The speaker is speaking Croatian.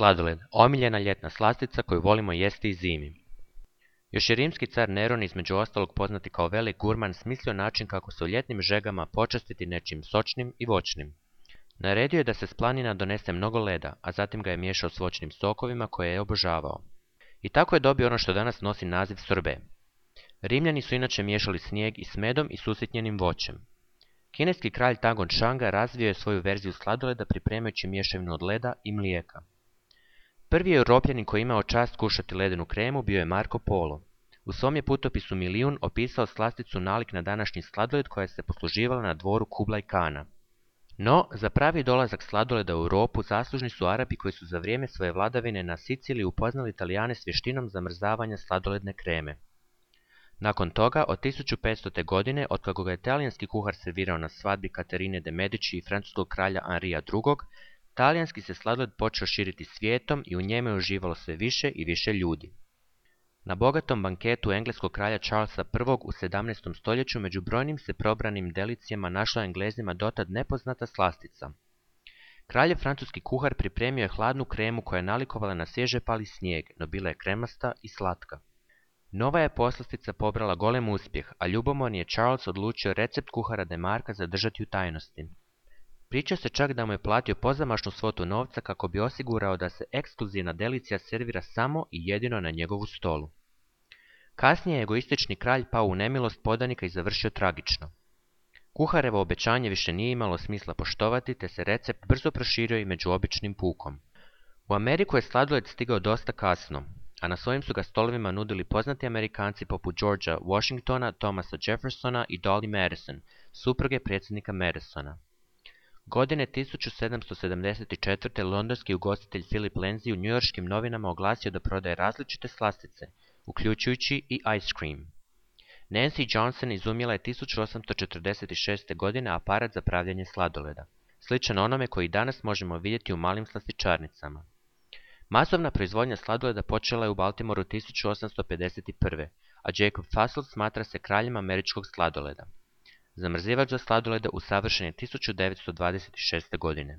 Sladoled, omiljena ljetna slastica koju volimo jesti i zimi. Još je rimski car Neron, između ostalog poznati kao velik gurman, smislio način kako se u ljetnim žegama počastiti nečim sočnim i voćnim. Naredio je da se s planina donese mnogo leda, a zatim ga je miješao s voćnim sokovima koje je obožavao. I tako je dobio ono što danas nosi naziv sorbe. Rimljani su inače miješali snijeg i s medom i s usitnjenim voćem. Kineski kralj Tagon Shanga razvio je svoju verziju sladoleda pripremajući mješavinu od leda i mlijeka. Prvi Europljanin koji je imao čast kušati ledenu kremu bio je Marko Polo. U svom je putopisu Milijun opisao slasticu nalik na današnji sladoled koja se posluživala na dvoru Kublaj Kana. No, za pravi dolazak sladoleda u Europu zaslužni su Arapi koji su za vrijeme svoje vladavine na Siciliji upoznali Italijane s vještinom zamrzavanja sladoledne kreme. Nakon toga, od 1500. godine, otkako ga je talijanski kuhar servirao na svadbi Katarine de Medici i francuskog kralja Henrija II, talijanski se sladoled počeo širiti svijetom i u njemu je uživalo sve više i više ljudi. Na bogatom banketu engleskog kralja Charlesa I u 17. stoljeću među brojnim se probranim delicijama našla Englezima dotad nepoznata slastica. Kraljev francuski kuhar pripremio je hladnu kremu koja je nalikovala na svježe pali snijeg, no bila je kremasta i slatka. Nova je poslastica pobrala golem uspjeh, a ljubomorni je Charles odlučio recept kuhara Demarka zadržati u tajnosti. Priča se čak da mu je platio pozamašnu svotu novca kako bi osigurao da se ekskluzivna delicija servira samo i jedino na njegovu stolu. Kasnije je egoistični kralj pao u nemilost podanika i završio tragično. Kuharevo obećanje više nije imalo smisla poštovati, te se recept brzo proširio i među običnim pukom. U Ameriku je sladoled stigao dosta kasno, a na svojim su ga stolovima nudili poznati Amerikanci poput Georgea Washingtona, Thomasa Jeffersona i Dolly Madison, supruge predsjednika Madisona. Godine 1774. londonski ugostitelj Philip Lindsay u njujorškim novinama oglasio da prodaje različite slastice, uključujući i ice cream. Nancy Johnson izumjela je 1846. godine aparat za pravljanje sladoleda, sličan onome koji danas možemo vidjeti u malim slastičarnicama. Masovna proizvodnja sladoleda počela je u Baltimoru 1851. a Jacob Fussell smatra se kraljem američkog sladoleda. Zamrzivač za sladoleda usavršen je 1926. godine.